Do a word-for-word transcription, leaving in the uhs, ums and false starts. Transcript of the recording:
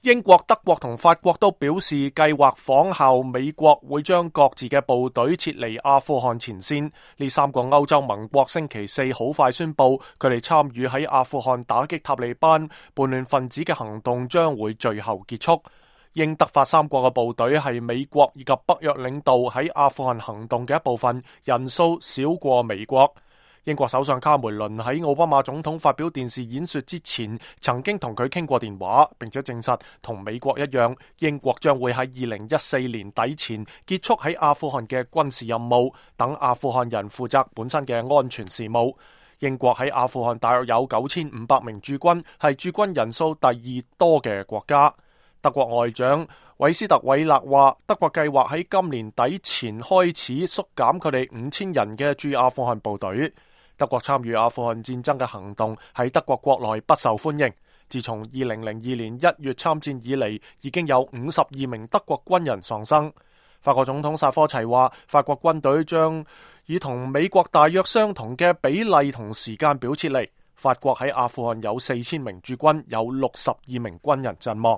英國、德國同法國都表示計劃仿效美國，會將各自嘅部隊撤離阿富汗前線。呢三個歐洲盟國星期四好快宣布，佢哋參與喺阿富汗打擊塔利班叛亂分子嘅行動將會最後結束。英德法三國嘅部隊係美國以及北約領導喺阿富汗行動嘅一部分，人數少過美國。英國首相卡梅倫喺奧巴馬總統發表電視演說之前，曾經同佢傾過電話，並且證實同美國一樣，英國將會喺二零一四年底前結束喺阿富汗嘅軍事任務，等阿富汗人負責本身嘅安全事務。英國喺阿富汗大約有九千五百名駐軍，係駐軍人數第二多嘅國家。德國外長韋斯特韋勒話，德國計劃喺今年底前開始縮減佢哋五千人嘅駐阿富汗部隊。德國參與阿富汗戰爭嘅行動喺德國國內不受歡迎。自從二零零二年一月參戰以嚟，已經有五十二名德國軍人喪生。法國總統薩科齊話，法國軍隊將以同美國大約相同嘅比例同時間表撤離。法國喺阿富汗有四千名駐軍，有六十二名軍人陣亡。